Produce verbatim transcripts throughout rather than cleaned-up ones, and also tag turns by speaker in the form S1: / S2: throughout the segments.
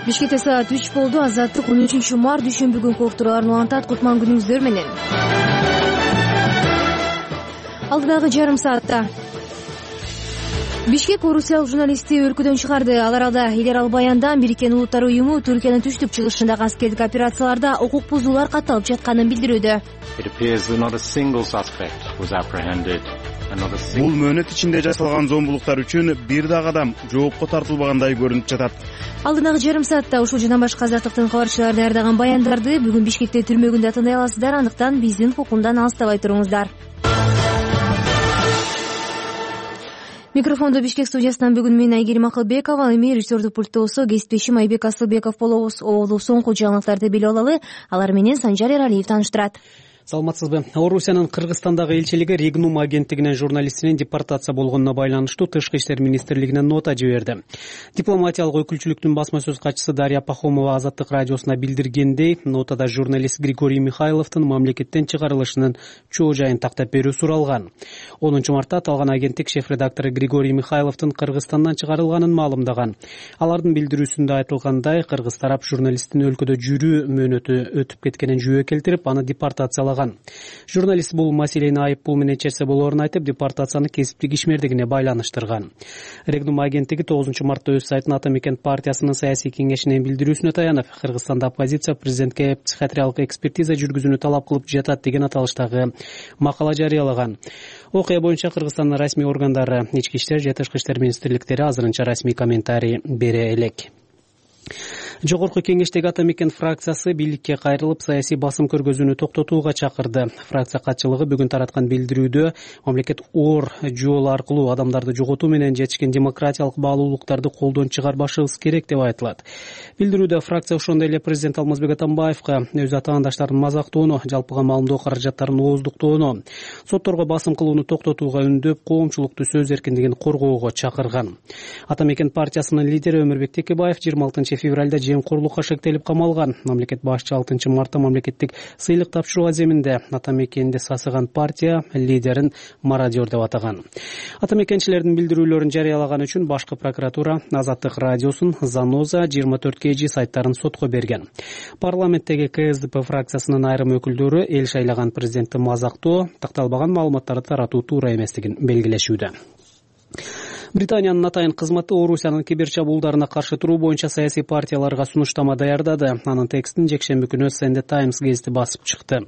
S1: Бишкекте саат үч болду. Азаттык он үчүнчү март дүйшөмбү күнкү уктурууларын улантат. Кутман күнүңүздөр менен. Алдыдагы жарым саатта Бишкек орусиялык журналистти өлкөдөн чыгарды. Алар алда эл аралык баяндан Бириккен Улуттар уюму Түркиянын түштүк чыгышындагы аскердик операцияларда укук бузуулар катталып жатканын билдирүүдө.
S2: Бул мөөнөт ичинде жасалган зомбулуктар үчүн бир дагы адам жоопко тартылбагандай көрүнүп жатат.
S1: Алдыдагы жарым саатта ушул жана башка азаттыктын кабарчылары даярдаган баяндарды бүгүн Бишкекте түрмө күндө тыңдай аласыздар. Андыктан биздин фокумдан алыстабай туруңуздар. Микрофондо Бишкек студиясынан бүгүн мен Айгерим Акылбекова, эми режиссердук пульттосо кесиптешим Айбек Асылбеков болобуз. Оболду соңку жаңылыктарды билип алалы. Алар менен Санжар Эралиев тааныштырат.
S3: Саламатсызбы. Орусиянын Кыргызстандагы элчилиги Регнум агенттигинин журналистинин депортация болгонуна байланыштуу Тышкы иштер министрлигине нота жиберди. Дипломатиялык өкүлчүлүктүн басма сөз катчысы Дарья Пахомова Азаттык радиосуна билдиргендей, нотада журналист Григорий Михайловдун мамлекеттен чыгарылышынын чоо жайын тактап берүү суралган. онунчу мартта аталган агенттик шеф-редактору Григорий Михайловдун Кыргызстандан чыгарылганын маалымдаган. Алардын билдирүүсүндө айтылгандай, кыргыз тарап журналисттин өлкөдө жүрүү мөөнөтү өтүп кеткенин жүйө келтирип, аны депортациялаган. Журналист бул маселени айып пул менен чечсе болоорун айтып, депортацияны кесиптик ишмердигине байланыштырган. Регнум агенттиги тогузунчу мартта өз сайтына Ата Мекен партиясынын саясий кеңешинин билдирүүсүнө таянып, Кыргызстанда оппозиция президентке психиатриялык экспертиза жүргүзүүнү талап кылып жатат деген аталыштагы макала жарыялаган. Окуя боюнча Кыргызстандын расмий органдары, ички иштер же тышкы иштер министрликтери азырынча расмий комментарий бере элек. Жогорку кеңештеги Ата Мекен фракциясы бийликке кайрылып, саясий басым көргөзүүнү токтотууга чакырды. Фракция катчылыгы бүгүн тараткан билдирүүдө мамлекет оор жол аркылуу адамдарды жоготуу менен жетишкен демократиялык баалуулуктарды колдон чыгарбашыбыз керек деп айтылат. Билдирүүдө фракция ошондой эле президент Алмазбек Атамбаевка өз атаандаштарын мазактоону, жалпыга маалымдоо каражаттарын ооздуктоону, сотторго басым кылууну токтотууга үндөп, коомчулукту сөз эркиндигин коргоого чакырган. Ата Мекен партиясынын лидери Өмүрбек Текебаев жыйырма алтынчы февралда жемкорлукка шектелип камалган. Мамлекет башчы алтынчы мартта мамлекеттик сыйлык тапшыруу аземинде Ата Мекенди сасыган партия лидерин мародер деп атаган. Ата Мекенчилердин билдирүүлөрүн жарыялаган үчүн башкы прокуратура Азаттык радиосун, Заноза, жыйырма төрт кей жи сайттарын сотко берген. Парламенттеги Ка Эс Ди Пи фракциясынын айрым өкүлдөрү эл шайлаган президентти мазактоо, такталбаган маалыматтарды таратуу туура эместигин белгилешүүдө. Британиянын атайын кызматы Орусиянын кибер чабуулдарына каршы туруу боюнча саясий партияларга сунуштама даярдады. Анын текстин жекшемби күнү Sunday Times гезити басып чыкты.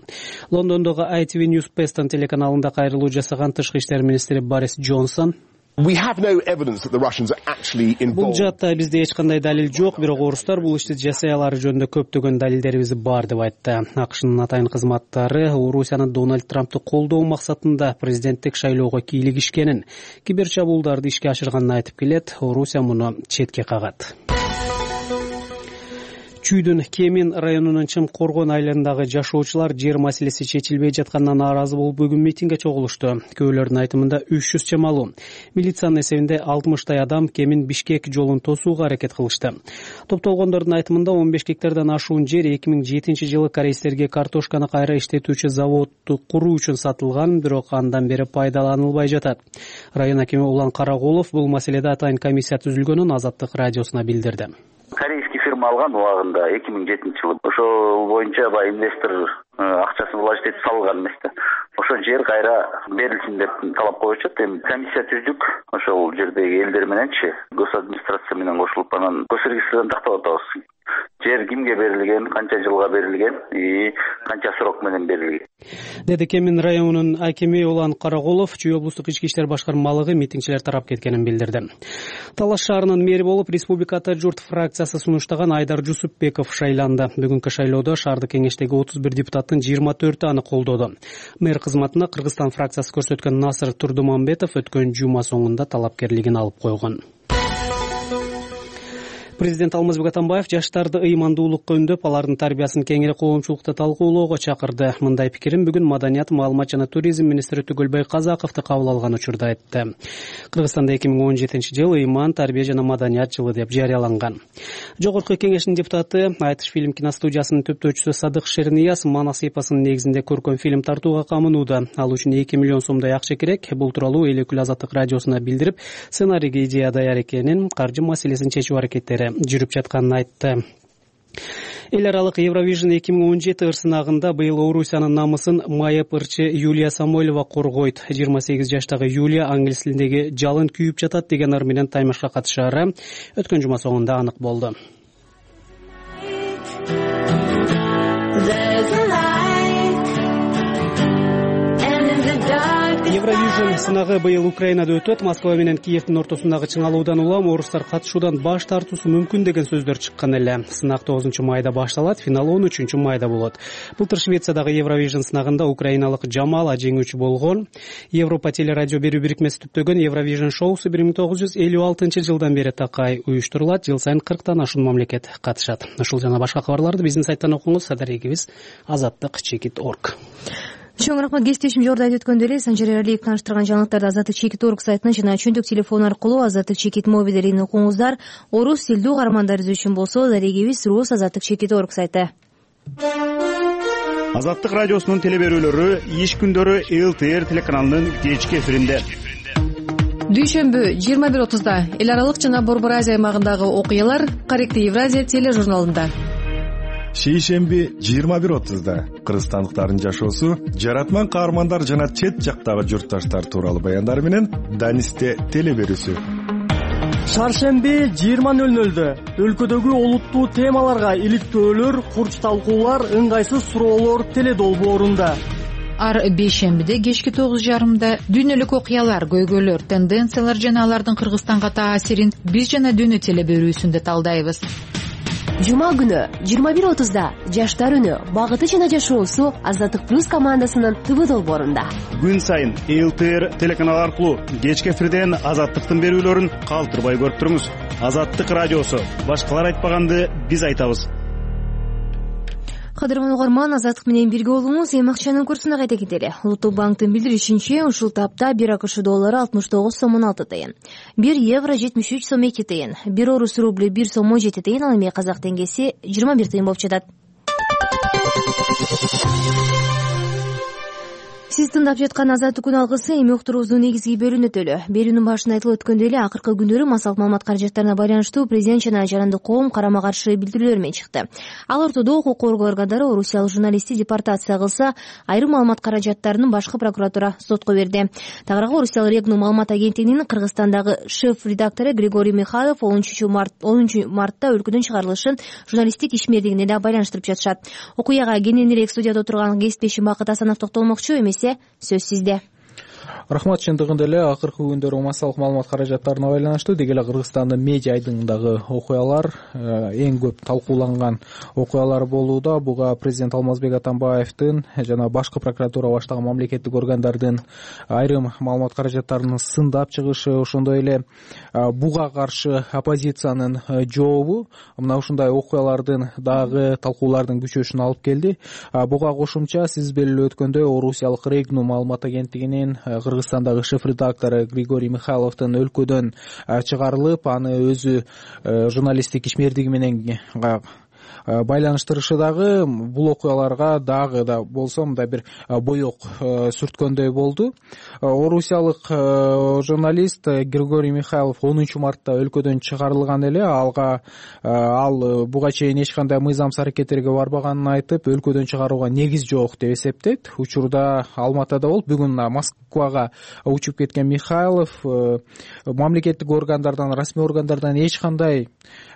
S3: Лондондогу ай ти ви News Preston телеканалында кайрылуу жасаган тышкы иштер министри Борис Джонсон
S4: Бул
S3: жаатта бизде эч кандай далил жок, бирок орустар бул ишти жасай алары жөнүндө көптөгөн далилдерибиз бар деп айтты. АКШнын атайын кызматтары Орусиянын Дональд Трампты колдоо максатында президенттик шайлоого кийлигишкенин, кибер чабуулдарды ишке ашырганын айтып келет. Орусия муну четке кагат. Чүйдүн Кемин районунун Чымкоргон айылындагы жашоочулар жер маселеси чечилбей жатканына нааразы болуп бүгүн митингге чогулушту. Көөлөрдүн айтымында үч жүз чамалуу милициянын эсебинде алтымыштай адам Кемин Бишкек жолун тосууга аракет кылышты. Топтолгондордун айтымында он беш гектардан ашуун жер эки миң жетинчи жылы корейстерге картошканы кайра иштетүүчү заводду куруу үчүн сатылган, бирок андан бери пайдаланылбай жатат. Район акими Улан Караголов бул маселеде атайын комиссия түзүлгөнүн Азаттык радиосуна билдирди.
S5: Корейский фирма алган убагында эки миң жетинчи жылы. Ошол боюнча баягы инвестор акчасын вложить этип салган эмес да. Ошол жер кайра берилсин деп талап коюшат. Эми комиссия түздүк. Ошол жердеги элдер мененчи госадминистрация менен кошулуп анан госрегистрден тактап атабыз. Жер кимге берилген, канча жылга берилген и канча срок менен берилген.
S3: Деди Кемин районунун акими Улан Караголов. Чүй облустук ички иштер башкармалыгы митингчилер тарап кеткенин билдирди. Талаш шаарынын мэри болуп Республика Ата журт фракциясы сунуштаган Айдар Жусупбеков шайланды. Бүгүнкү шайлоодо шаардык кеңештеги отуз бир депутаттын жыйырма төртү аны колдоду. Мэр кызматына Кыргызстан фракциясы көрсөткөн Насыр Турдуманбетов өткөн жума соңунда талапкерлигин алып койгон. Президент Алмазбек Атамбаев жаштарды ыймандуулукка үндөп, алардын тарбиясын кеңири коомчулукта талкуулоого чакырды. Мындай пикирин бүгүн Маданият, маалымат жана туризм министри Түгөлбай Казаковду кабыл алган учурда айтты. Кыргызстанда эки миң он жетинчи жыл ыйман, тарбия жана маданият жылы деп жарыяланган. Жогорку кеңештин депутаты, Айтыш фильм киностудиясынын төптөөчүсү Садык Шернияз Манас эпосунун негизинде көркөм фильм тартууга камынууда. Ал үчүн эки миллион сомдой акча керек. Бул тууралуу эл өкүлү Азаттык радиосуна билдирип, сценарийге идея даяр экенин, каржы маселесин чечүү аракеттери эле жүрүп жатканын айтты. Эл аралык Евровижн эки миң он жети ырсынагында быйыл Орусиянын намысын майып ырчы Юлия Самойлова коргойт. жыйырма сегиз жаштагы Юлия англис тилиндеги жалын күйүп жатат деген ыр менен таймашка катышаары өткөн жума соңунда анык болду. Евровижн сынагы быйыл Украинада өтөт. Москва менен Киевдин ортосундагы чыңалуудан улам орустар катышуудан баш тартуусу мүмкүн деген сөздөр чыккан эле. Сынак тогузунчу майда башталат, финал он үчүнчү майда болот. Былтыр Швециядагы Евровижн сынагында украиналык Жамала жеңүүчү болгон. Европа телерадио берүү бирикмеси түптөгөн Евровижн шоусу бир миң тогуз жүз элүү алтынчы жылдан бери такай уюштурулат. Жыл сайын кырктан ашуун мамлекет катышат. Ушул жана башка кабарларды биздин сайттан окуңуз. Адарегибиз азаттык чекит точка орг.
S1: Чоң рахмат. Кесиптешим жогоруда айтып өткөндөй эле Санжар Эралиев тааныштырган жаңылыктарды азаттык чекит точка орг сайтынан жана чөйдүк телефон аркылуу азаттык чекит мобилдерин окуңуздар. Орус тилдүү каармандарыбыз үчүн болсо дарегибиз рус азаттык чекит точка орг сайты.
S2: Азаттык радиосунун телеберүүлөрү иш күндөрү эл тэ эр телеканалынын кечки эфиринде.
S4: Дүйшөмбү жыйырма бир отузда эл аралык жана Борбор Азия аймагындагы окуялар Корректный Евразия тележурналында.
S6: Шейшемби жыйырма бир отузда кыргызстандыктардын жашоосу, жаратман каармандар жана чет жактагы журтташтар тууралуу баяндар менен Данисте телеберүүсү.
S7: Шаршемби жыйырма нөл нөлдө өлкөдөгү олуттуу темаларга иликтөөлөр, курч талкуулар, ыңгайсыз суроолор теледолбоорунда.
S8: Ар бейшембиде кечки тогуз жарымда дүйнөлүк окуялар, көйгөйлөр, тенденциялар жана алардын Кыргызстанга таасирин биз жана дүйнө телеберүүсүндө талдайбыз.
S9: Жума күнү жыйырма бир отузда жаштар үнү, багыты жана жашоосу Азаттык плюс командасынын ТВ долбоорунда.
S2: Күн сайын эл тэ эр телеканалы аркылуу кечки эфирден Азаттыктын берүүлөрүн калтырбай көрүп туруңуз. Азаттык радиосу. Башкалар айтпаганды биз айтабыз.
S1: Кадырман угарман, Азаттык менен бирге болуңуз. Эми акчанын курсуна кайта кетели. Улуттук банктын билдиришинче, ушул тапта бир АКШ доллары алтымыш тогуз сом он алты тыйын, бир евро жетимиш үч сом эки тыйын, бир орус рубль бир сом он жети тыйын, ал эми казак теңгеси жыйырма бир тыйын болуп жатат. Сиз тыңдап жаткан Азаттык күн алгысы эми уктуруубуздун негизги бөлүгүнө өтөлү. Берүүнүн башында айтылып өткөндөй эле, акыркы күндөрү массалык маалымат каражаттарына байланыштуу президент жана жарандык коом карама каршы билдирүүлөр менен чыкты. Ал ортодо укук коргоо органдары орусиялык журналистти депортация кылса, айрым маалымат каражаттарын башкы прокуратура сотко берди. Тагыраагы орусиялык Регнум маалымат агенттигинин Кыргызстандагы шеф-редактору Григорий Михайлов онунчу мартта өлкөдөн чыгарылышын журналисттик ишмердигине да байланыштырып жатышат. Окуяга кененирээк студияда отурган кесиптешим Бакыт Асанов токтолмокчу, эмесе сөз сизде.
S10: Рахмат, чындыгында эле акыркы күндөрү массалык маалымат каражаттарына байланыштуу деги эле Кыргызстандын медиа айдыңындагы окуялар, эң көп талкууланган окуялар болууда. Буга президент Алмазбек Атамбаевдин жана башкы прокуратура баштаган мамлекеттик органдардын айрым маалымат каражаттарынын сындап чыгышы, ошондой эле буга каршы оппозициянын жообу мына ушундай окуялардын дагы талкуулардын күчөшүнө алып келди. Буга кошумча сиз белгилеп өткөндөй орусиялык Регнум маалымат агенттигинин Кыргызстандагы шеф-редактору Григорий Михайловдун өлкөдөн чыгарылып, аны өзү журналисттик ишмердиги менен байланыштырышы дагы бул окуяларга дагы да болсо мындай бир боек сүрткөндөй болду. Орусиялык журналист Григорий Михайлов онунчу мартта өлкөдөн чыгарылган эле. Алга ал буга чейин эч кандай мыйзамсыз аракеттерге барбаганын айтып, өлкөдөн чыгарууга негиз жок деп эсептейт. Учурда Алматыда болуп, бүгүн Москвага учуп кеткен Михайлов мамлекеттик органдардан, расмий органдардан эч кандай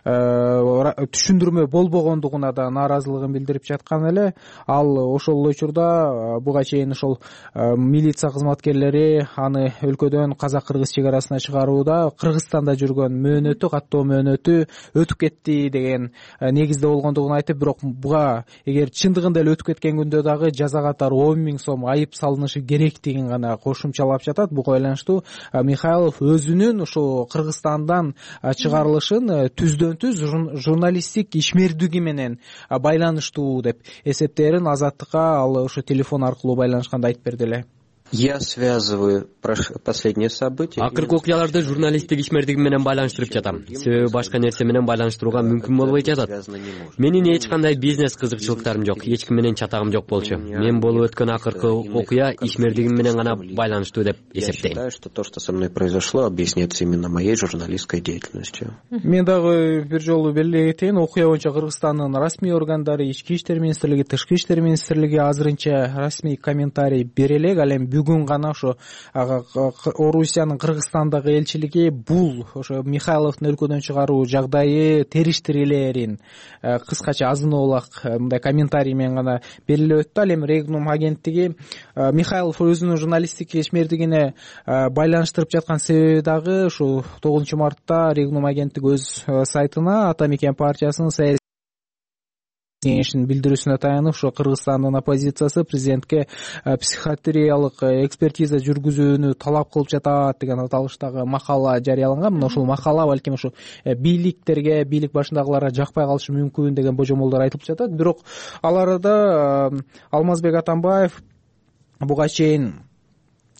S10: түшүндүрмө болбогондугуна да нааразылыгын билдирип жаткан эле. Ал ошол учурда буга чейин ошол милиция кызматкерлери аны өлкөдөн казак-кыргыз чек арасына чыгарууда Кыргызстанда жүргөн мөөнөтү, каттоо мөөнөтү өтүп кетти деген негизде болгондугун айтып, бирок буга эгер чындыгында эле өтүп кеткен күндө дагы жаза катары он миң сом айып салынышы керектигин гана кошумчалап жатат. Буга байланыштуу Михайлов өзүнүн ошо Кыргызстандан чыгарылышын түздөн түз журналисттик ишмердиги менен байланыштуу деп эсептээрин Азаттыкка ал ошо телефон аркылуу байланышканда айтып берди эле.
S11: Я связываю последние события.
S12: Акыркы окуяларды журналисттик ишмердигим менен байланыштырып жатам. Себеби башка нерсе менен байланыштырууга мүмкүн болбой жатат. Менин эч кандай бизнес кызыкчылыктарым жок, эч ким менен чатагым жок болчу. Мен болуп өткөн акыркы окуя ишмердигим менен гана байланыштуу деп эсептейм.
S11: Я считаю, что то, что со мной произошло, объясняется именно моей журналистской деятельностью.
S10: Мен дагы бир жолу белгилей кетейин, окуя боюнча Кыргызстандын расмий органдары, Ички иштер министрлиги, Тышкы иштер министрлиги азырынча расмий комментарий бере элек. Ал эми бүгүн гана ошо Орусиянын Кыргызстандагы элчилиги бул ошо Михайловдун өлкөдөн чыгаруу жагдайы териштирилерин кыскача азыноолак мындай комментарий менен гана белгилеп өттү. Ал эми Регнум агенттиги Михайлов өзүнүн журналисттик ишмердигине байланыштырып жаткан себеби дагы ушу тогузунчу мартта Регнум агенттиги өз сайтына Ата Мекен партиясынын саясий кеңешинин билдирүүсүнө таянып ушу Кыргызстандын оппозициясы президентке психиатриялык экспертиза жүргүзүүнү талап кылып жатат деген аталыштагы макала жарыяланган. Мына ушул макала балким ушу бийликтерге, бийлик башындагыларга жакпай калышы мүмкүн деген божомолдор айтылып жатат. Бирок ал арада Алмазбек Атамбаев буга чейин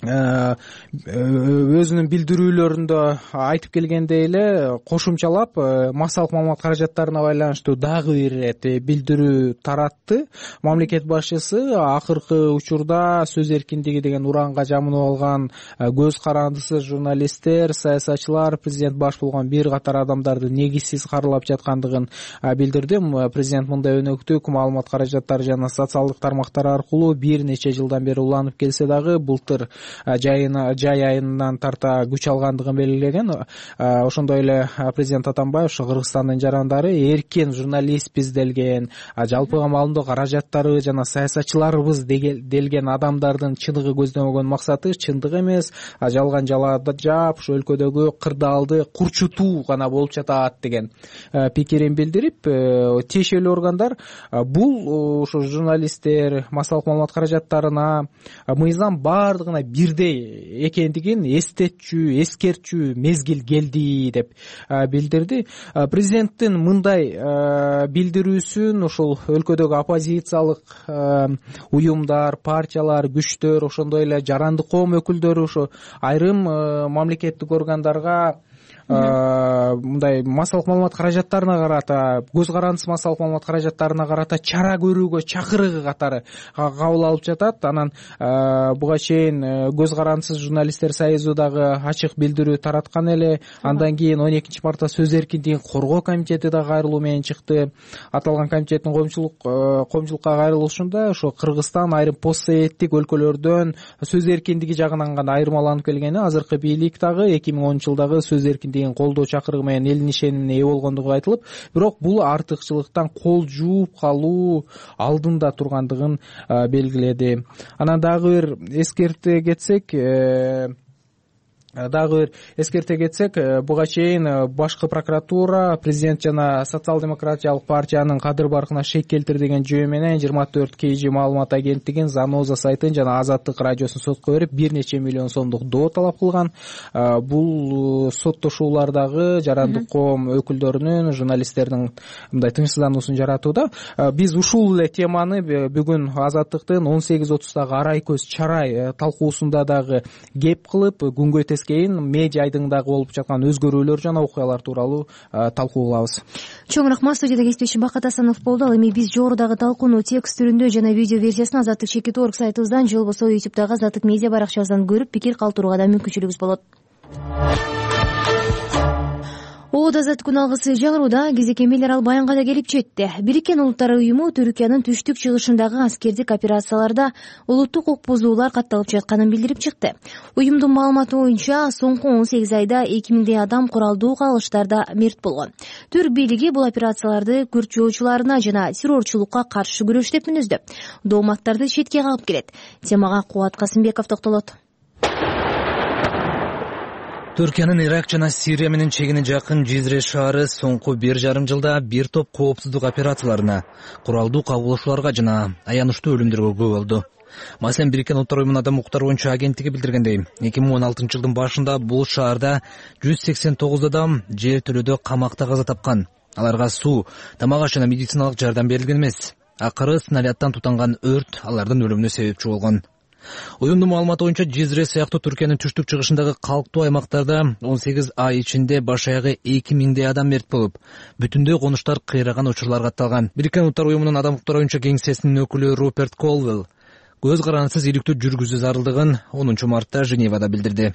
S10: өзүнүн билдирүүлөрүндө айтып келгендей эле кошумчалап массалык маалымат каражаттарына байланыштуу дагы бир ирет билдирүү таратты. Мамлекет башчысы акыркы учурда сөз эркиндиги деген уранга жамынып алган көз карандысыз журналисттер, саясатчылар президент баш болгон бир катар адамдарды негизсиз каралап жаткандыгын билдирди. Президент мындай өнөктүк маалымат каражаттары жана социалдык тармактар аркылуу бир нече жылдан бери уланып келсе дагы былтыр жайына жай айынан тарта күч алгандыгын белгилеген. Ошондой эле президент Атамбаев ушу Кыргызстандын жарандары эркин журналистпиз делген, жалпыга маалымдоо каражаттары жана саясатчыларыбыз делген адамдардын чыныгы көздөгөн максаты чындык эмес, жалган жалаада жаап ушу өлкөдөгү кырдаалды курчутуу гана болуп жатат деген пикирин билдирип, тиешелүү органдар бул ушу журналисттер массалык маалымат каражаттарына мыйзам бардыгына бирдей экендигин эстетчү, эскертчү мезгил келди деп билдирди. Президенттин мындай билдирүүсүн ушул өлкөдөгү оппозициялык уюмдар, партиялар, күчтөр, ошондой эле жарандык коом өкүлдөрү ушу айрым мамлекеттик органдарга мындай массалык маалымат каражаттарына карата, көз карандысыз массалык маалымат каражаттарына карата чара көрүүгө чакырыгы катары кабыл алып жатат. Анан буга чейин көз карандысыз журналисттер союзу дагы ачык билдирүү тараткан эле. Андан кийин он экинчи мартта сөз эркиндигин коргоо комитети да кайрылуу менен чыкты. Аталган комитеттин коомчулук коомчулукка кайрылышында ошо Кыргызстан айрым постсоветтик өлкөлөрдөн сөз эркиндиги жагынан гана айырмаланып келгени, азыркы бийлик дагы эки миң онунчу жылдагы сөз эркиндигин колдоо чакырыгы менен элдин ишенимине ээ болгондугу айтылып, бирок бул артыкчылыктан кол жууп калуу алдында тургандыгын белгиледи. Анан дагы бир эскерте кетсек, дагы бир эскерте кетсек, буга чейин башкы прокуратура президент жана социал-демократиялык партиянын кадыр баркына шек келтирди деген жөө менен жыйырма төрт кей жи маалымат агенттигин, Заноза сайтын жана Азаттык радиосун сотко берип бир нече миллион сомдук доо талап кылган. Бул соттошуулардагы жарандык коом өкүлдөрүнүн, журналисттердин мындай тынчсыздануусун жаратууда. Биз ушул эле теманы бүгүн Азаттыктын он сегиз отуздагы Арай көз чарай талкуусунда дагы кеп кылып, күнгөй кийин медиа айдыңдагы болуп жаткан өзгөрүүлөр жана окуялар тууралуу талкуу кылабыз.
S1: Чоң рахмат. Студияда кесиптешим Бакат Асанов болду. Ал эми биз жогорудагы талкууну текст түрүндө жана видео версиясын Азаттык чекит точка орг сайтыбыздан же болбосо ютубдагы Азаттык медиа баракчабыздан көрүп, пикир калтырууга да мүмкүнчүлүгүңүз болот. Оод азаттык күн алгысы жаңырууда кезек эмелер ал баянга да келип жетти. Бириккен Улуттар уюму Түркиянын түштүк чыгышындагы аскердик операцияларда улуттук укук бузуулар катталып жатканын билдирип чыкты. Уюмдун маалыматы боюнча соңку он сегиз айда эки миңдей адам куралдуу кагылыштарда мерт болгон. Түрк бийлиги бул операцияларды күрд жоочуларына жана террорчулукка каршы күрөш деп мүнөздөп, дооматтарды четке кагып келет. Темага Кубат Касымбеков токтолот.
S13: Түркиянын Ирак жана Сирия менен чегине жакын Жизре шаары соңку бир жарым жылда бир топ коопсуздук операцияларына, куралдуу кагылышууларга жана аянычтуу өлүмдөргө күбө болду. Маселен, Бириккен Улуттар уюмунун адам укуктары боюнча агенттиги билдиргендей, эки миң он алтынчы жылдын башында бул шаарда жүз сексен тогуз адам жер төлөөдө камакта каза тапкан. Аларга суу, тамак аш жана медициналык жардам берилген эмес. Акыры снаряддан тутанган өрт алардын өлүмүнө себепчи болгон. Уюмдун маалыматы боюнча Жизре сыяктуу Түркиянын түштүк чыгышындагы калктуу аймактарда он сегиз ай ичинде баш аягы эки миңдей адам мерт болуп, бүтүндөй конуштар кыйраган учурлар катталган. Бириккен Улуттар уюмунун адам укуктары боюнча кеңсесинин өкүлү Руперт Колвелл көз карандысыз иликтөө жүргүзүү зарылдыгын онунчу мартта Женевада билдирди.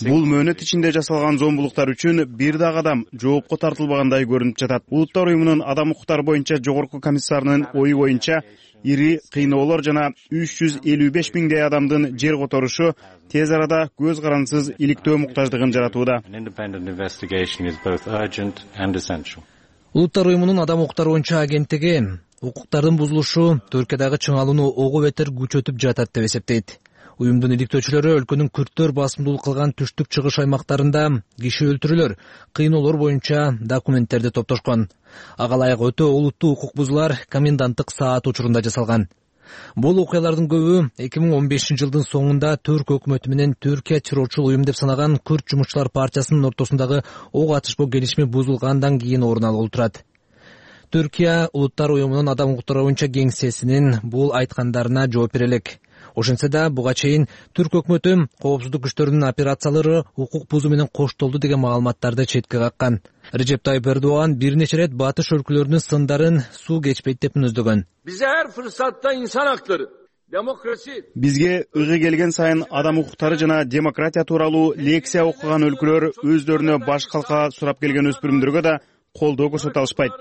S2: Бул мөөнөт ичинде жасалган зомбулуктар үчүн бир дагы адам жоопко тартылбагандай көрүнүп жатат. Улуттар уюмунун адам укуктары боюнча жогорку комиссарынын ою боюнча ири кыйноолор жана үч жүз элүү беш миңдей адамдын жер которушу тез арада көз карандысыз иликтөө муктаждыгын жаратууда.
S13: Улуттар уюмунун адам укуктары боюнча агенттиги укуктардын бузулушу Түркиядагы чыңалууну ого бетер күчөтүп жатат деп эсептейт. Уюмдун иликтөөчүлөрү өлкөнүн күрттөр басымдуулук кылган түштүк чыгыш аймактарында киши өлтүрүүлөр, кыйноолор боюнча документтерди топтошкон. Ага ылайык өтө олуттуу укук бузуулар коменданттык саат учурунда жасалган. Бул окуялардын көбү эки миң он бешинчи жылдын соңунда Түрк өкмөтү менен Түркия террорчул уюм деп санаган Күрд жумушчулар партиясынын ортосундагы ок атышпоо келишими бузулгандан кийин орун алып турат. Түркия Улуттар уюмунун адам укуктары боюнча кеңсесинин бул айткандарына жооп бере элек. Ошентсе да буга чейин Түрк өкмөтү коопсуздук күчтөрүнүн операциялары укук бузуу менен коштолду деген маалыматтарды четке каккан. Режеп Тайып Эрдоган бир нече ирет батыш өлкөлөрүнүн сындарын суу кечпейт деп мүнөздөгөн.
S14: Бизе ар фурсатта инсан актары, демократия.
S2: Бизге ыгы келген сайын адам укуктары жана демократия тууралуу лекция окуган өлкөлөр өздөрүнө баш калка сурап келген өспүрүмдөргө да колдоо көрсөтө алышпайт.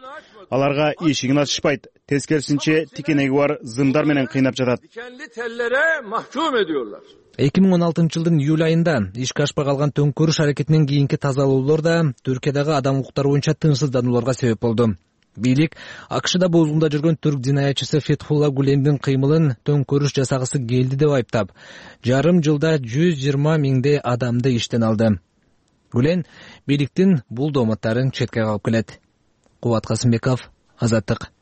S2: Аларга эшигин ачышпайт, тескерисинче тикенеги бар зымдар менен кыйнап жатат.
S14: Dikenli tellere mahkum ediyorlar.
S13: эки миң он алтынчы жылдын июль айында ишке ашпай калган төңкөрүш аракетинен кийинки тазалоолор да Түркиядагы адам укуктары боюнча тынчсызданууларга себеп болду. Бийлик АКШда бозгунда жүргөн түрк динаятчысы Фетхулла Гулендин кыймылын төңкөрүш жасагысы келди деп айыптап, жарым жылда жүз жыйырма миңдей адамды иштен алды. Гулен бийликтин бул дооматтарын четке кагып келет. Кубат Касымбеков, Азаттык.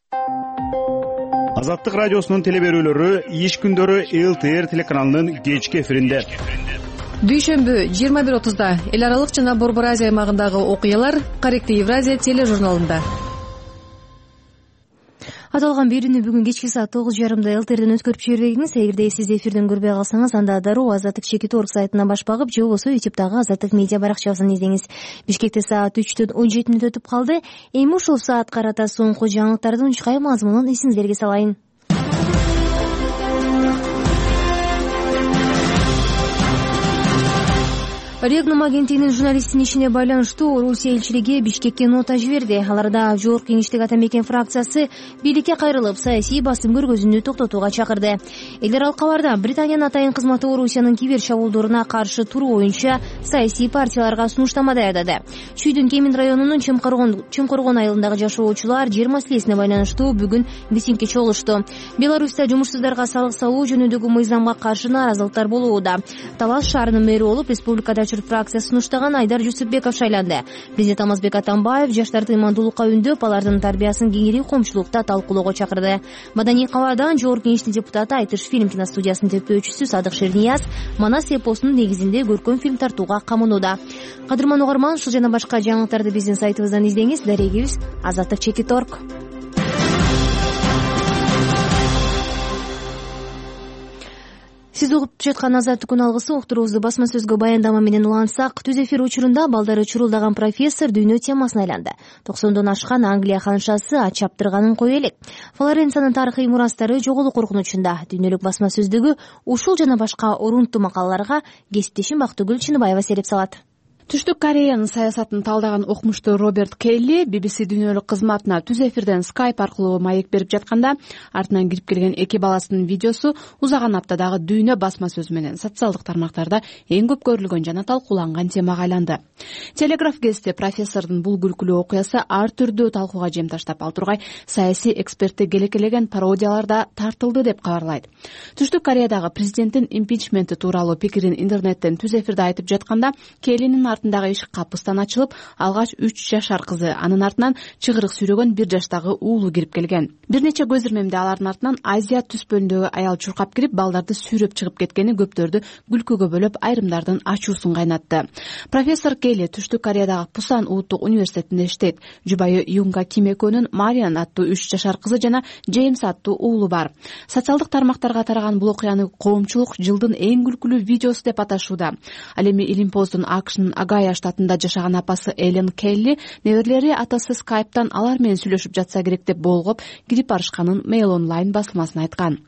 S2: Азаттык радиосунун телеберүүлөрү иш күндөрү ЛТР телеканалынын кечки эфиринде.
S4: Дүйшөмбү жыйырма бир отузда эл аралык жана Борбор Азия аймагындагы окуялар Корректив Евразия тележурналында.
S1: Аталган берүүнү бүгүн кечки саат тогуз жарымда ЛТРден өткөрүп жибергениңиз. Эгерде сиз эфирден көрбөй калсаңыз, анда дароо Азаттык чекит точка орг сайтына баш багып, же болбосо ютубтагы Азаттык медиа баракчасын издеңиз. Бишкекте саат үчтөн он жети мүнөт өтүп калды. Эми ушул саат карата соңку жаңылыктардын учкай мазмунун эсиңиздерге салайын. Регнум агенттигинин журналисттин ишине байланыштуу Орусия элчилиги Бишкекке нота жиберди. Аларда жогорку кеңештик ата мекен фракциясы бийликке кайрылып, саясий басым көргөзүүнү токтотууга чакырды. Эл аралык кабарда Британиянын атайын кызматы Орусиянын кибер чабуулдоруна каршы туруу боюнча саясий партияларга сунуштама даярдады. Чүйдүн Кемин районунун Чымкоргон айылындагы жашоочулар жер маселесине байланыштуу бүгүн митингге чогулушту. Беларуста жумушсуздарга салык салуу жөнүндөгү мыйзамга каршы нааразылыктар болууда. Талас шаарынын мэри болуп, республикада фракция сунуштаган Айдар Жусупбеков шайланды. Президент Алмазбек Атамбаев жаштарды имандуулукка үндөп, алардын тарбиясын кеңири коомчулукта талкуулоого чакырды. Маданий кабардан жогорку кеңештин депутаты Айтыш фильм киностудиясынын төптөөчүсү Садык Шернияз Манас эпосунун негизинде көркөм фильм тартууга камынууда. Кадырман угарман, ушул жана башка жаңылыктарды биздин сайтыбыздан издеңиз. Дарегибиз азаттык чекит точка орг. Сиз угуп жаткан Азаттык күн алгысы уктуруубузду басма сөзгө баяндама менен улантсак, түз эфир учурунда балдары чурулдаган профессор дүйнө темасына айланды. токсондон ашкан Англия ханшасы ач чаптырганын кое элек. Флоренциянын тарыхый мурастары жоголуу коркунучунда. Дүйнөлүк басма сөздүгү ушул жана башка орунттуу макалаларга кесиптешим Бактыгүл Чыныбаева сереп салат.
S15: Түштүк Кореянын саясатын талдаган окумуштуу Роберт Келли би би си дүйнөлүк кызматына түз эфирден скайп аркылуу маек берип жатканда артынан кирип келген эки баласынын видеосу узаган аптадагы дүйнө басма сөзү менен социалдык тармактарда эң көп көрүлгөн жана талкууланган темага айланды. Телеграф гезити профессордун бул күлкүлүү окуясы ар түрдүү талкууга жем таштап, ал тургай саясий экспертти келекелеген пародияларда тартылды деп кабарлайт. Түштүк Кореядагы президенттин импичменти тууралуу пикирин интернеттен түз эфирде айтып жатканда Келлинин артындагы эшик капыстан ачылып, алгач үч жашар кызы, анын артынан чыгырык сүйрөгөн бир жаштагы уулу кирип келген. Бир нече көз ирмемде алардын артынан Азия түз бөлүндөгү аял чуркап кирип, балдарды сүйрөп чыгып кеткени көптөрдү күлкүгө бөлөп, айрымдардын ачуусун кайнатты. Профессор Келли Түштүк Кореядагы Пусан улуттук университетинде иштейт. Жубайы Юнга Ким экөөнүн Мариан аттуу үч жашар кызы жана Джеймс аттуу уулу бар. Социалдык тармактарга тараган бул окуяны коомчулук жылдын эң күлкүлүү видеосу деп аташууда. Ал эми Илимпоздун АКШнын Агая штатында жашаган апасы Элен Келли неберелери атасы скайптан алар менен сүйлөшүп жатса керек деп болгоп кирип барышканын Mail Online басылмасына айткан.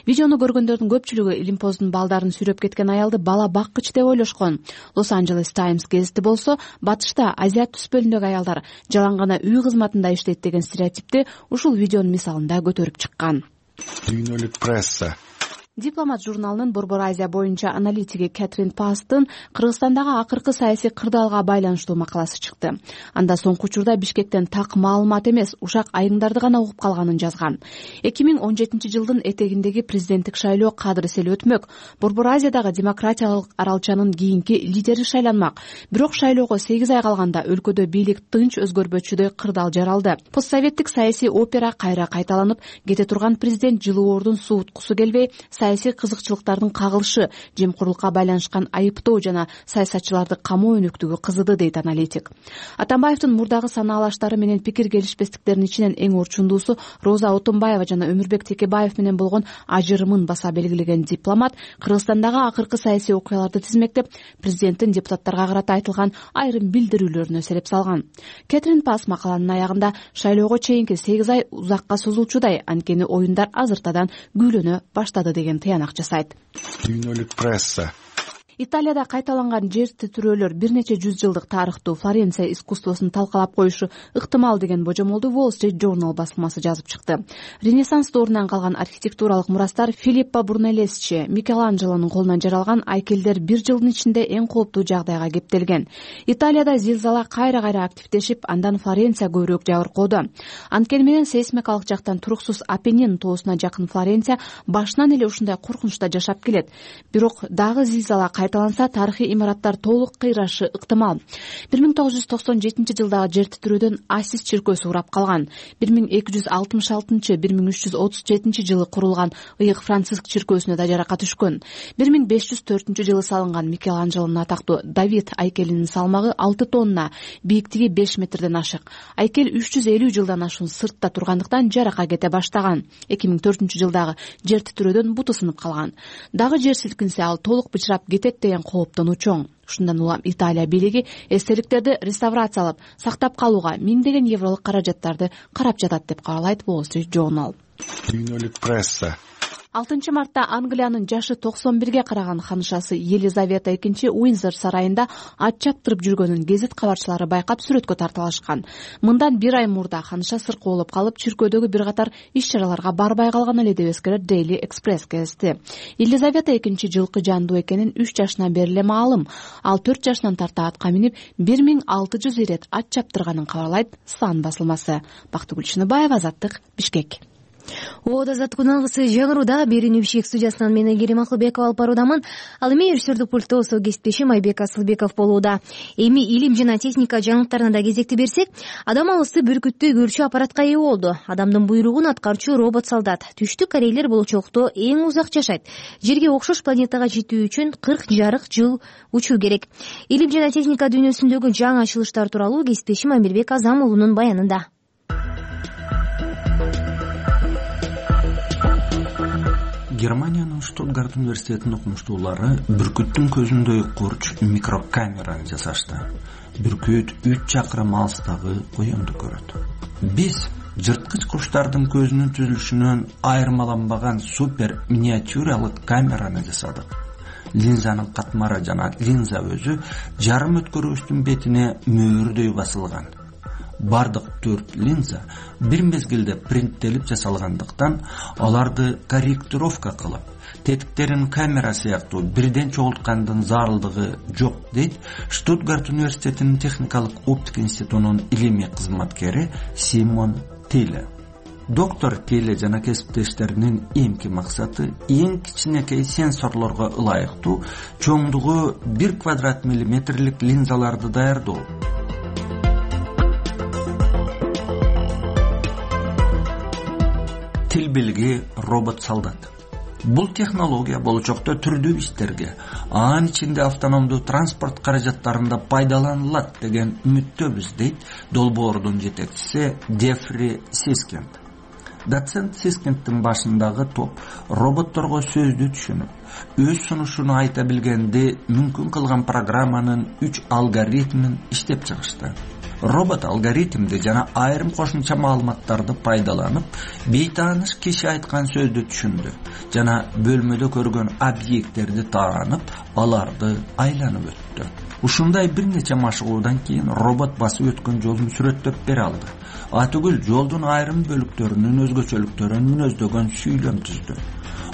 S15: Видеону көргөндөрдүн көпчүлүгү Илимпоздун балдарын сүйрөп кеткен аялды бала баккыч деп ойлошкон. Лос Анджелес Таймс гезити болсо, батышта Азия түз бөлүндөгү аялдар жалаң гана үй кызматында иштейт деген стереотипти ушул видеонун мисалында көтөрүп чыккан.
S6: Дүйнөлүк пресса.
S15: Дипломат журналынын Борбор Азия боюнча аналитиги Кэтрин Пастын Кыргызстандагы акыркы саясий кырдаалга байланыштуу макаласы чыкты. Анда соңку учурда Бишкектен так маалымат эмес, ушак айыңдарды гана угуп калганын жазган. эки миң он жетинчи жылдын этегиндеги президенттик шайлоо кадыр эсели өтмөк. Борбор Азиядагы демократиялык аралчанын кийинки лидери шайланмак. Бирок шайлоого сегиз ай калганда өлкөдө бийлик тынч өзгөрбөчүдөй кырдаал жаралды. Постсоветтик саясий опера кайра кайталанып, кете турган президент жылуордун сууткусу келбей, саясий кызыкчылыктардын кагылышы, жемкорлукка байланышкан айыптоо жана саясатчыларды камоо өнүктүгү кызыды, дейт аналитик. Атамбаевдин мурдагы санаалаштары менен пикир келишпестиктердин ичинен эң орчундуусу Роза Отунбаева жана Өмүрбек Текебаев менен болгон ажырымын баса белгилеген дипломат Кыргызстандагы акыркы саясий окуяларды тизмектеп, президенттин депутаттарга карата айтылган айрым билдирүүлөрүнө себеп салган. Кэтрин Пас макаланын аягында шайлоого чейинки сегиз ай узакка созулчудай, анткени оюндар азыртадан күүлөнө баштады деген тыянак жасайт.
S6: Дүйнөлүк пресса.
S15: Италияда кайталанган жер титирөөлөр бир нече жүз жылдык тарыхтуу Флоренция искусствосун талкалап коюшу ыктымал деген божомолду Wall Street Journal басылмасы жазып чыкты. Ренессанс доорунан калган архитектуралык мурастар Филиппо Брунеллесчи, Микеланджелонун колунан жаралган айкелдер бир жылдын ичинде эң кооптуу жагдайга кептелген. Италияда зилзала кайра-кайра активдешип, андан Флоренция көбүрөөк жабыркоодо. Анткени менен сейсмикалык жактан туруксуз Апеннин тоосуна жакын Флоренция башынан эле ушундай коркунучта жашап келет. Бирок дагы зилзала кайталанса, тарыхый имараттар толук кыйрашы ыктымал. бир миң тогуз жүз токсон жетинчи жылдагы жер титирөөдөн Асис чиркөөсү урап калган. бир миң эки жүз алтымыш алтынчы — бир миң үч жүз отуз жетинчи жылы курулган ыйык Франциск чиркөөсүнө да жаракат түшкөн. бир миң беш жүз төртүнчү жылы салынган Микеланджелонун атактуу Давид айкелинин салмагы алты тонна, бийиктиги беш метрден ашык. Айкел үч жүз элүү жылдан ашуун сыртта тургандыктан жарака кете баштаган. эки миң төртүнчү жылдагы жер титирөөдөн буту сынып калган. Дагы жер силкинсе, ал толук бычырап кетет деген кооптону чоң. Ушундан улам Италия бийлиги эстеликтерди реставрациялап, сактап калууга миңдеген евролук каражаттарды карап жатат деп кабарлайт Wall Street Journal.
S6: Дүйнөлүк пресса.
S15: алтынчы мартта Англиянын жашы токсон бирге караган ханышасы Елизавета экинчи Уиндзор сарайында ат чаптырып жүргөнүн гезит кабарчылары байкап сүрөткө тарталышкан. Мындан бир ай мурда ханыша сыркы болуп калып, чиркөөдөгү бир катар иш-чараларга барбай калган эле деп эскерет Daily Express гезити. Елизавета экинчи жылкы жандуу экенин үч жашынан бери эле маалым. Ал төрт жашынан тарта атка минип бир миң алты жүз ирет ат чаптырганын кабарлайт Сан басылмасы. Бактыгүл Чыныбаева, Азаттык, Бишкек.
S1: Оода Азаттык алгысы жаңыруда. Берүүнү Бишкек студиясынан мен Айгерим Акылбекова алып баруудамын. Ал эми режиссердик пультто со кесиптешим Айбек Асылбеков болууда. Эми илим жана техника жаңылыктарына да кезекти берсек, адам алысты бүркүттүү көрчү аппаратка ээ болду. Адамдын буйругун аткарчу робот-солдат. Түштүк корейлер болочокто эң узак жашайт. Жерге окшош планетага жетүү үчүн кырк жарык жыл учуу керек. Илим жана техника дүйнөсүндөгү жаңы ачылыштар тууралуу кесиптешим Амирбек Азам уулунун баянында.
S16: Германиянын Штутгарт университетинин окумуштуулары бүркүттүн көзүндөй курч микрокамераны жасашты. Бүркүт үч чакырым алыстагы коёнду көрөт. Биз жырткыч куштардын көзүнүн түзүлүшүнөн айырмаланбаган супер миниатюралык камераны жасадык. Линзанын катмары жана линза өзү жарым өткөргүчтүн бетине мөөрдөй басылган. Бардык төрт линза бир мезгилде принттелип жасалгандыктан аларды корректировка кылып, тетиктерин камера сыяктуу бирден чогулткандын зарылдыгы жок, дейт Штутгарт университетинин техникалык оптика институтунун илимий кызматкери Симон Тиле. доктор теле жана кесиптештеринин эмки максаты эң кичинекей сенсорлорго ылайыктуу чоңдугу бир квадрат миллиметрлик линзаларды даярдоо. Тил билги робот солдат. Бул технология болочокто түрдүү иштерге, анын ичинде автономдуу транспорт каражаттарында пайдаланылат деген үмүттөбүз, дейт долбоордун жетекчиси Дефри Сискинд. Доцент Сискиндтин башындагы топ роботторго сөздү түшүнүп, өз сунушуну айта билгенди мүмкүн кылган программанын үч алгоритмин иштеп чыгышты. Робот алгоритмди жана айрым кошумча маалыматтарды пайдаланып, бейтааныш киши айткан сөздү түшүндү жана бөлмөдө көргөн объекттерди таанып, аларды айланып өттү. Ушундай бир нече машыгуудан кийин робот басып өткөн жолун сүрөттөп бере алды. Атүгүл жолдун айрым бөлүктөрүнүн өзгөчөлүктөрүн мүнөздөгөн сүйлөм түздү.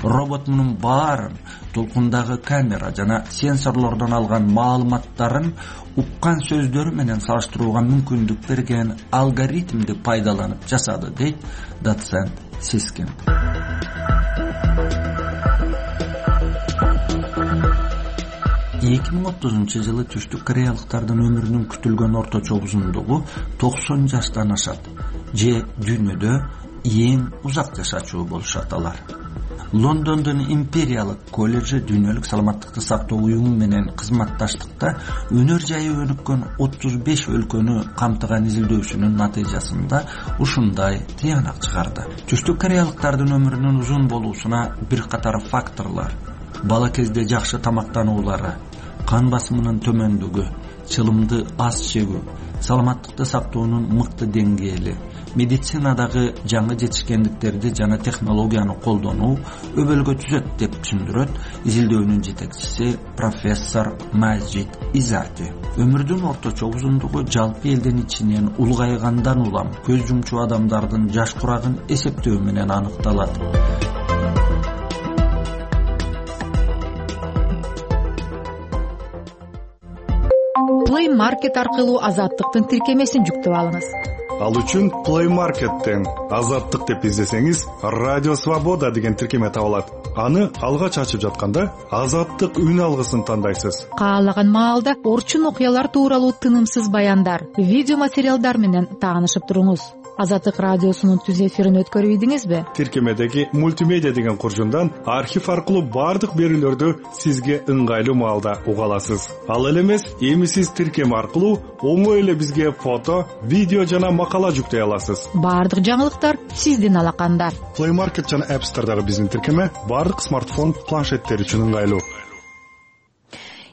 S16: Робот мунун баарын толкундагы камера жана сенсорлордон алган маалыматтарын уккан сөздөрү менен салыштырууга мүмкүндүк берген алгоритмди пайдаланып жасады, дейт доцент Сискин. эки миң отузунчу жылы түштүк кореялыктардын өмүрүнүн күтүлгөн орточо узундугу токсон жаштан ашат же дүйнөдө эң узак жашачу болушат алар. Лондондун империялык колледжи дүйнөлүк саламаттыкты сактоо уюму менен кызматташтыкта өнөр жайы өнүккөн отуз беш өлкөнү камтыган изилдөөсүнүн натыйжасында ушундай тыянак чыгарды. Түштүк кореялыктардын өмүрүнүн узун болуусуна бир катар факторлор: бала кезде жакшы тамактануулары, кан басымынын төмөндүгү, чылымды аз жегүү, саламаттыкты сактоонун мыкты деңгээли, медицинадагы жаңы жетишкендиктерди жана технологияны колдонуу өбөлгө түзөт, деп түшүндүрөт изилдөөнүн жетекчиси профессор Мажид Изати. Өмүрдүн орточо узундугу жалпы элдин ичинен улгайгандан улам көз жумчу адамдардын жаш курагын эсептөө менен аныкталат.
S8: Play Market аркылуу азаттыктын тиркемесин жүктөп алыңыз.
S6: Ал үчүн Play Market'тен азаттык деп издесеңиз, Радио Свобода деген тиркеме табылат. Аны алгач ачып жатканда азаттык үн алгысын тандайсыз.
S8: Каалаган маалда орчун окуялар тууралуу тынымсыз баяндар, видео материалдар менен таанышып туруңуз. Азаттык радиосунун түз эфирин өткөрүп ийдиңизби?
S6: Тиркемедеги мультимедиа деген куржундан архив аркылуу бардык берүүлөрдү сизге ыңгайлуу маалда уга аласыз. Ал эле эмес, эми сиз тиркеме аркылуу оңой эле бизге фото, видео жана макала жүктөй аласыз.
S8: Бардык жаңылыктар сиздин алаканда.
S6: Play Market жана App Store'дагы биздин тиркеме бардык смартфон, планшеттер үчүн ыңгайлуу.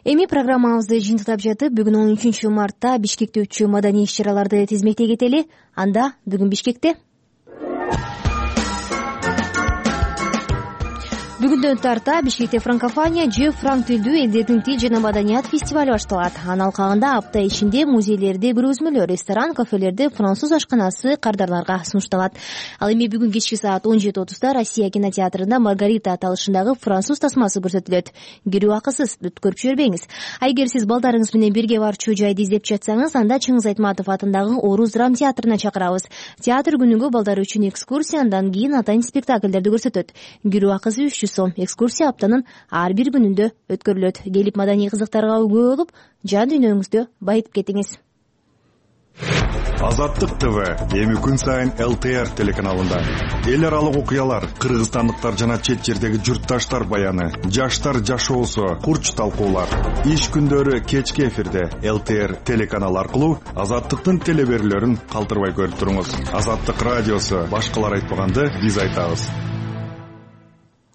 S1: Эми программабызды жыйынтыктап жатып, бүгүн он үчүнчү мартта Бишкекте өтчү маданий иш-чараларды тизмектей кетели. Анда бүгүн Бишкекте бүгүндөн тарта Бишкекте франкофония же франк тилдүү элдердин тил жана маданият фестивалю башталат. Анын алкагында апта ичинде музейлерде көргөзмөлөр, ресторан, кафелерде француз ашканасы кардарларга сунушталат. Ал эми бүгүн кечки саат он жети отузда Россия кинотеатрында Маргарита аталышындагы француз тасмасы көрсөтүлөт. Кирүү акысыз, өткөрүп жибербеңиз. А эгер сиз балдарыңыз менен бирге барчу жайды издеп жатсаңыз, анда Чыңгыз Айтматов атындагы Орус драм театрына чакырабыз. Театр күнүгө балдар үчүн экскурсия, андан кийин атайын спектакльдерди көрсөтөт. Кирүү акысы үч жүз сом. Экскурсия аптанын ар бир күнүндө өткөрүлөт. Келип маданий кызыктарга үгө болуп, жан дүйнөңүздү байытып кетиңиз.
S6: Азаттык ТВ эми күн сайын эл тэ эр телеканалында эл аралык окуялар, кыргызстандыктар жана чет жердеги журтташтар баяны, жаштар жашоосу, курч талкуулар. Иш күндөрү кечки эфирде эл тэ эр телеканалы аркылуу Азаттыктын телеберүүлөрүн калтырбай көрүп туруңуз. Азаттык радиосу башкалар айтпаганды биз айтабыз.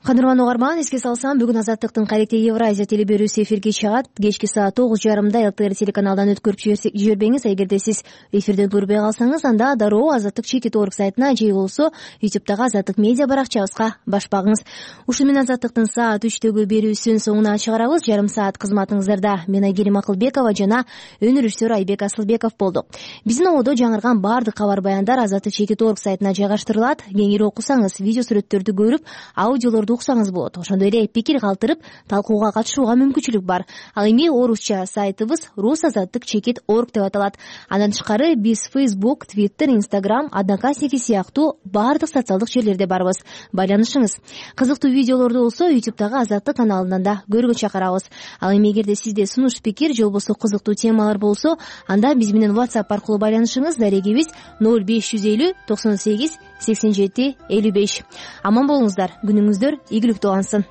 S1: Кадырман угарман, эске салсам, бүгүн Азаттыктын кайректи Евразия телеберүүсү эфирге чыгат. Кечки саат тогуз жарымда эл тэ эр телеканалдан өткөрүп жибербеңиз. Эгерде сиз эфирден көрбөй калсаңыз, анда дароо Азаттык чекит точка орг сайтына же болбосо ютубтагы Азаттык медиа баракчабызга баш багыңыз. Ушуну менен Азаттыктын саат үчтөгү берүүсүн соңуна чыгарабыз. Жарым саат кызматыңыздарда мен Айгерим Акылбекова жана өн режиссер Айбек Асылбеков болду. Биздин ободо жаңырган бардык кабар баяндар Азаттык чекит точка орг сайтына жайгаштырылат. Кеңири окусаңыз, видео сүрөттөрдү көрүп, аудиолорду уксаңыз болот. Ошондой эле пикир калтырып талкууга катышууга мүмкүнчүлүк бар. Ал эми орусча сайтыбыз рус азаттык чекит орг деп аталат. Андан тышкары биз Facebook, Twitter, Instagram, Одноклассники сыяктуу баардык социалдык жерлерде барбыз. Байланышыңыз. Кызыктуу видеолорду болсо YouTube'дагы Азаттык каналынан да көргөнгө чакырабыз. Ал эми эгерде сизде сунуш пикир же болбосо кызыктуу темалар болсо, анда биз менен WhatsApp аркылуу байланышыңыз. Дарегибиз ноль беш жүз элүү токсон сегиз сексен жети элүү беш. Аман болуңуздар, күнүңүздөр ийгиликтүү улансын.